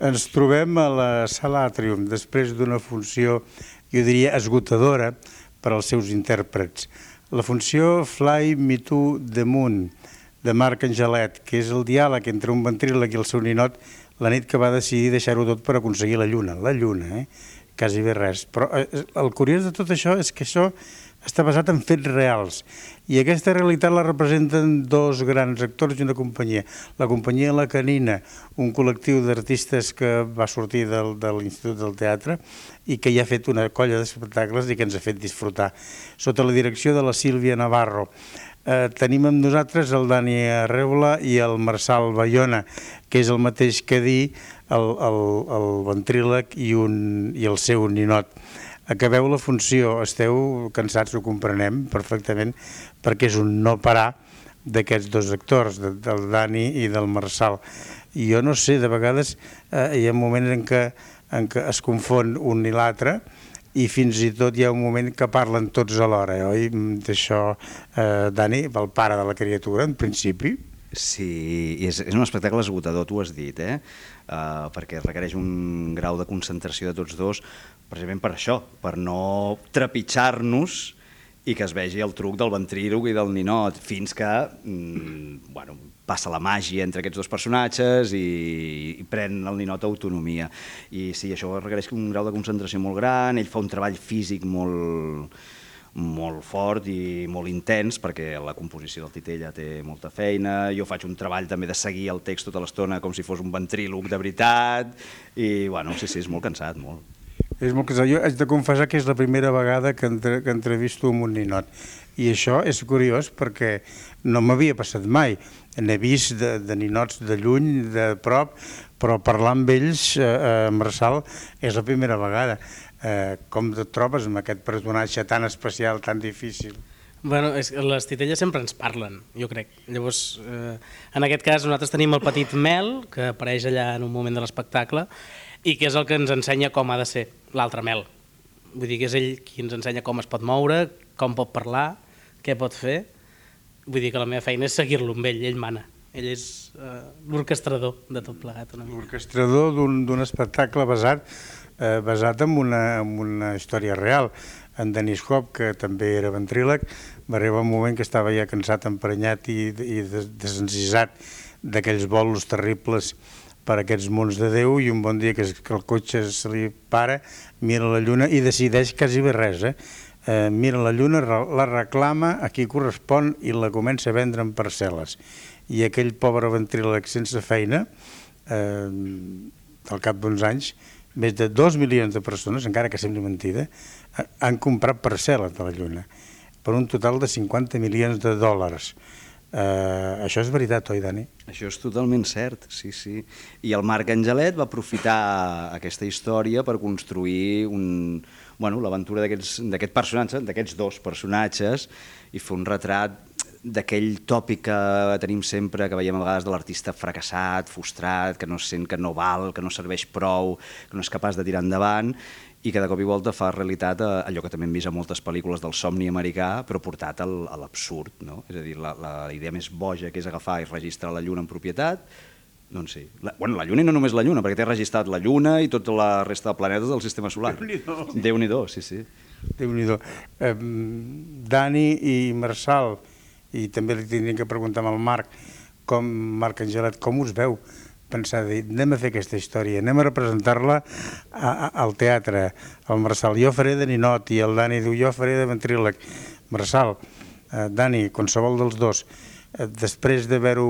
Ens trobem a la Sala Atrium, després d'una funció, jo diria, esgotadora per als seus intèrprets. La funció Fly Me to the Moon, de Marc Angelet, que és el diàleg entre un ventríloc i el seu ninot la nit que va decidir deixar-ho tot per aconseguir la lluna, quasi bé res. Però el curiós de tot això és que això està basat en fets reals i aquesta realitat la representen dos grans actors i una companyia. La companyia La Canina, un col·lectiu d'artistes que va sortir de l'Institut del Teatre i que ja ha fet una colla d'espectacles i que ens ha fet disfrutar, sota la direcció de la Sílvia Navarro. Tenim amb nosaltres el Dani Arreula i el Marçal Bayona, que és el mateix que dir el ventríloc i el seu ninot. Acabeu la funció, esteu cansats, ho comprenem perfectament, perquè és un no parar d'aquests dos actors, del Dani i del Marçal. I jo no sé, de vegades hi ha moments en què es confon un i l'altre i fins i tot hi ha un moment que parlen tots alhora, oi? D'això, Dani, el pare de la criatura, en principi. Sí, és un espectacle esgotador, tu has dit, perquè requereix un grau de concentració de tots dos, precisament per això, per no trepitjar-nos i que es vegi el truc del ventríloc i del ninot, fins que passa la màgia entre aquests dos personatges i pren el ninot autonomia. I sí, això requereix un grau de concentració molt gran, ell fa un treball físic molt fort i molt intens, perquè la composició del Titella té molta feina, jo faig un treball també de seguir el text tota l'estona com si fos un ventríloc de veritat, i sí, és molt cansat, molt. És molt cansat. Jo haig de confessar que és la primera vegada que entrevisto amb un ninot, i això és curiós perquè no m'havia passat mai. N'he vist de ninots de lluny, de prop, però parlar amb ells, Marçal, és la primera vegada. Com et trobes amb aquest personatge tan especial, tan difícil? Bueno, les titelles sempre ens parlen, jo crec. Llavors, en aquest cas, nosaltres tenim el petit Mel, que apareix allà en un moment de l'espectacle, i que és el que ens ensenya com ha de ser l'altre Mel. Vull dir que és ell qui ens ensenya com es pot moure, com pot parlar, què pot fer. Vull dir que la meva feina és seguir-lo amb ell mana. Ell és l'orquestrador de tot plegat. L'orquestrador d'un espectacle basat en una història real. En Denis Hop, que també era ventríloc, va arribar un moment que estava ja cansat, emprenyat i desencisat d'aquells bolos terribles per aquests mons de Déu, i un bon dia que el cotxe se li para, mira la lluna i decideix quasi bé res. Mira la lluna, la reclama a qui correspon i la comença a vendre en parcel·les. I aquell pobre ventríloc sense feina, al cap d'uns anys, més de 2 milions de persones, encara que sembli mentida, han comprat parcel·les de la lluna per un total de 50 milions de dòlars. Això és veritat, oi, Dani? Això és totalment cert, sí. I el Marc Angelet va aprofitar aquesta història per construir l'aventura d'aquest personatge, d'aquests dos personatges, i fer un retrat d'aquell tòpic que tenim sempre, que veiem a vegades de l'artista fracassat, frustrat, que no sent que no val, que no serveix prou, que no és capaç de tirar endavant, i que de cop i volta fa realitat allò que també hem vist a moltes pel·lícules del somni americà, però portat a l'absurd, no? És a dir, la idea més boja, que és agafar i registrar la Lluna en propietat, doncs sí. La Lluna i no només la Lluna, perquè té registrat la Lluna i tota la resta de planetes del sistema solar. Déu-n'hi-do, sí. Déu-n'hi-do. Dani i Marçal, i també li tindríem que preguntar al Marc Angelet, com us veu pensar de dir, anem a fer aquesta història, anem a representar-la al teatre. El Marçal, jo faré de ninot, i el Dani diu, jo faré de ventríloc. Marçal, Dani, qualsevol dels dos, després d'haver-ho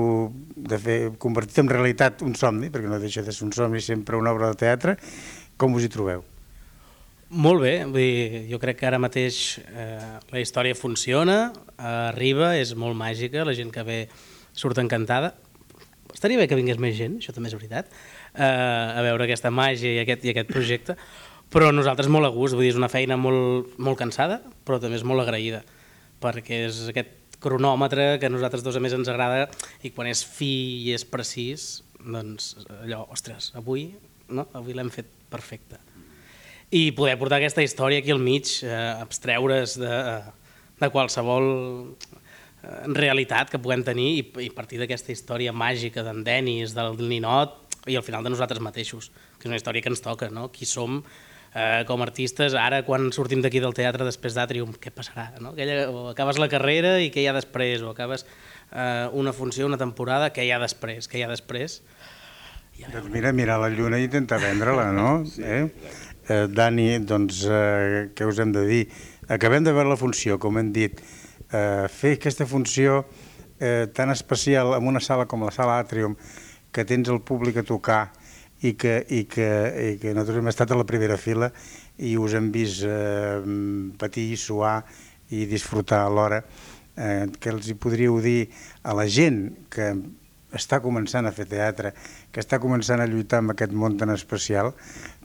convertit en realitat un somni, perquè no deixa de ser un somni sempre una obra de teatre, com us hi trobeu? Molt bé, vull dir, jo crec que ara mateix la història funciona, arriba, és molt màgica, la gent que ve surt encantada. Estaria bé que vingués més gent, això també és veritat, a veure aquesta màgia i aquest projecte, però nosaltres molt a gust, vull dir, és una feina molt cansada, però també és molt agraïda, perquè és aquest cronòmetre que a nosaltres dos a més ens agrada, i quan és fi i és precís, doncs allò, ostres, avui l'hem fet perfecte. I poder portar aquesta història aquí al mig, abstreure's de qualsevol realitat que puguem tenir i partir d'aquesta història màgica d'en Denis, del ninot, i al final de nosaltres mateixos, que és una història que ens toca, no? Qui som com a artistes, ara quan sortim d'aquí del teatre després d'Àtrium, què passarà? No? O acabes la carrera i què hi ha després, o acabes una funció, una temporada, què hi ha després? Què hi ha després? Doncs mira, mirar la lluna i intentar vendre-la, no? Dani, doncs, què us hem de dir? Acabem de veure la funció, com hem dit. Fer aquesta funció tan especial en una sala com la sala Àtrium, que tens el públic a tocar i que nosaltres hem estat a la primera fila i us hem vist patir, suar i disfrutar alhora, que els hi podríeu dir a la gent que està començant a fer teatre, que està començant a lluitar amb aquest món tan especial,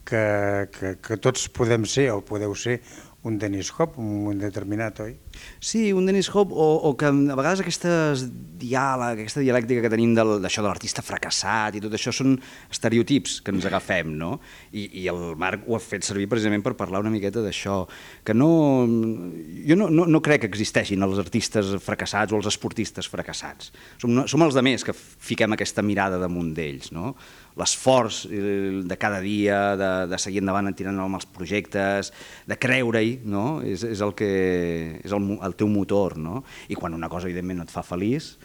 que tots podem ser o podeu ser un Dennis Hop, un moment determinat, oi? Sí, un Dennis Hop, o que a vegades aquesta dialèctica que tenim d'això de l'artista fracassat i tot això són estereotips que ens agafem, no? I el Marc ho ha fet servir precisament per parlar una miqueta d'això, que jo no crec que existeixin els artistes fracassats o els esportistes fracassats. Som els altres que fiquem aquesta mirada damunt d'ells, no? L'esforç de cada dia, de seguir endavant tirant amb els projectes, de creure-hi, no? És el teu motor, no? I quan una cosa evidentment no et fa feliç,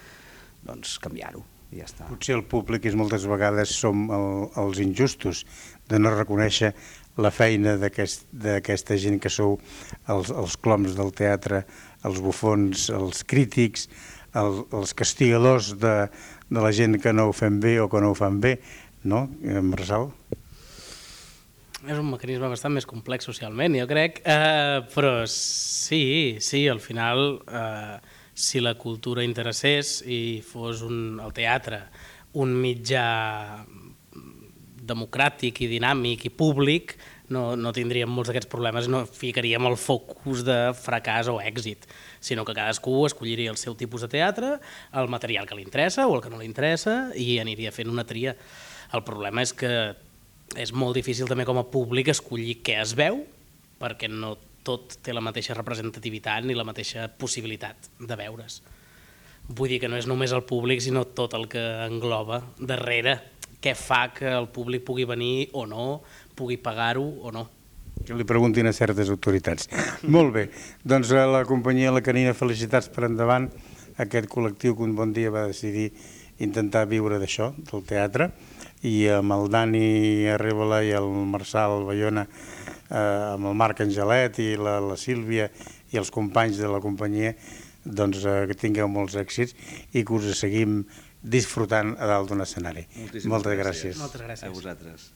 doncs canviar-ho i ja està. Potser el públic moltes vegades som els injustos de no reconèixer la feina d'aquesta gent que sou els cloms del teatre, els bufons, els crítics, els castigadors de la gent que no ho fem bé o que no ho fan bé, no, Marçal? És un mecanisme bastant més complex socialment, jo crec, però sí, al final, si la cultura interessés i fos el teatre un mitjà democràtic i dinàmic i públic, no tindríem molts d'aquests problemes i no ficaríem el focus de fracàs o èxit, sinó que cadascú escolliria el seu tipus de teatre, el material que li interessa o el que no li interessa i aniria fent una tria. El problema és que és molt difícil també com a públic escollir què es veu, perquè no tot té la mateixa representativitat ni la mateixa possibilitat de veure's. Vull dir que no és només el públic, sinó tot el que engloba darrere, què fa que el públic pugui venir o no, pugui pagar-ho o no. Que li preguntin a certes autoritats. Molt bé, doncs a la companyia La Canina, felicitats per endavant, aquest col·lectiu que un bon dia va decidir intentar viure d'això, del teatre, i amb el Dani Arrébola i el Marçal Bayona, amb el Marc Angelet i la Sílvia i els companys de la companyia, doncs que tingueu molts èxits i que us seguim disfrutant a dalt d'un escenari. Moltes gràcies. Moltes gràcies. A vosaltres.